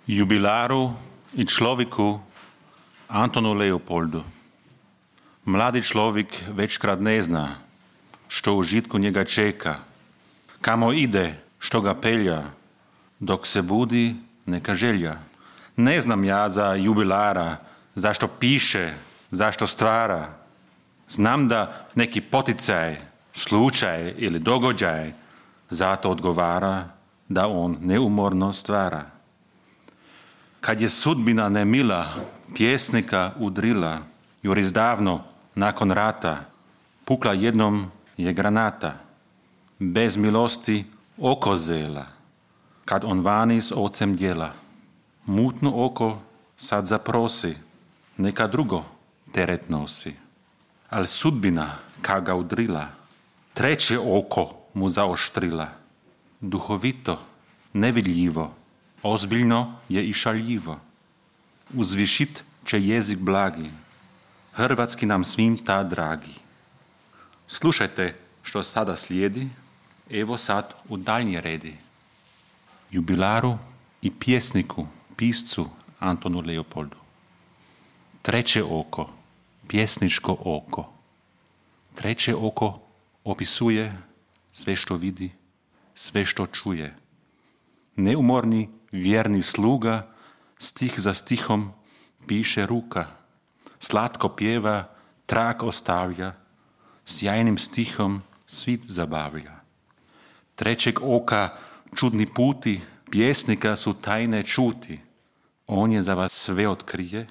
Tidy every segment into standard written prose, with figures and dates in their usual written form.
Jubilaru i človeku Antonu Leopoldu. Mladý človek večkrát nezná, što u žitku njega čeka, kamo ide, što ga pelja, dok se budi neka želja. Ne znam ja za jubilara, zašto piše, zašto stvara. Znam da neki poticaj, slučaj ili događaj zato odgovara da on neumorno stvara. Kad je sudbina nemila pjesnika udrila, još davno nakon rata, pukla jednom je granata, bez milosti oko zela, kad on vani s ocem djela. Mutno oko sad zaprosi, neka drugo teret nosi. Al sudbina, kad ga udrila, treće oko mu zaoštrila. Duhovito, nevidljivo, ozbiljno je i šaljivo. Uzvišit će jezik blagi, hrvatski nam svim ta dragi. Slušajte što sada slijedi, evo sad u daljnji redi. Jubilaru i pjesniku, piscu Antonu Leopoldu. Treće oko, pjesničko oko. Treće oko opisuje sve što vidi, sve što čuje. Neumorni, vjerni sluga, stih za stihom piše ruka. Slatko pjeva, trag ostavlja, sjajnim stihom svit zabavlja. Trećeg oka čudni puti, pjesnika su tajne čuti. On je za vas sve otkrije,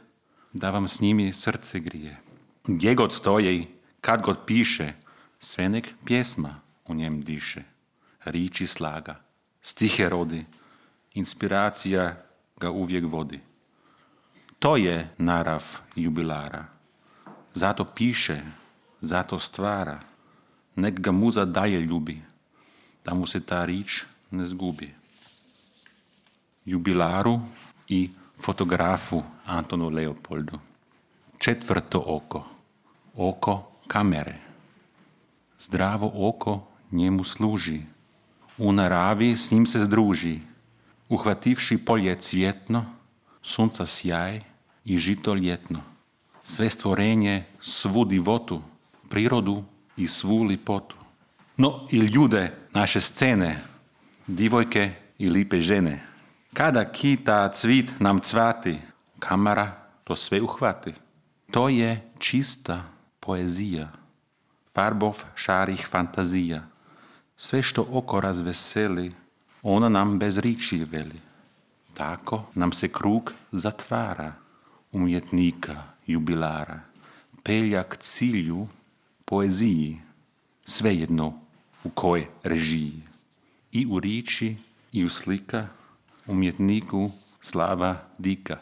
da vam s njimi srce grije. Gdje god stoji, kad god piše, sve nek pjesma u njem diše. Riči slaga, stihe rodi, inspiracija ga uvijek vodi. To je narav jubilara. Zato piše, zato stvara. Nek ga muza dalje ljubi, da mu se ta rič ne zgubi. Jubilaru i fotografu Antonu Leopoldu. Četvrto oko. Oko kamere. Zdravo oko njemu služi. U naravi s njim se združi. Uhvativši polje cvjetno, sunca sjaj i žito ljetno. Sve stvorenje, svu divotu, prirodu i svu lipotu. No i ljude naše scene, divojke i lipe žene. Kada kita cvit nam cvati, kamera to sve uhvati. To je čista poezija, farbov šarih fantazija. Sve što oko razveseli, ona nam bez riči veli. Tako nam se krug zatvara, umjetnika, jubilara. Pelja k cilju, poeziji, svejedno u kojoj režiji. I u riči, i u slika, umjetniku slava dika.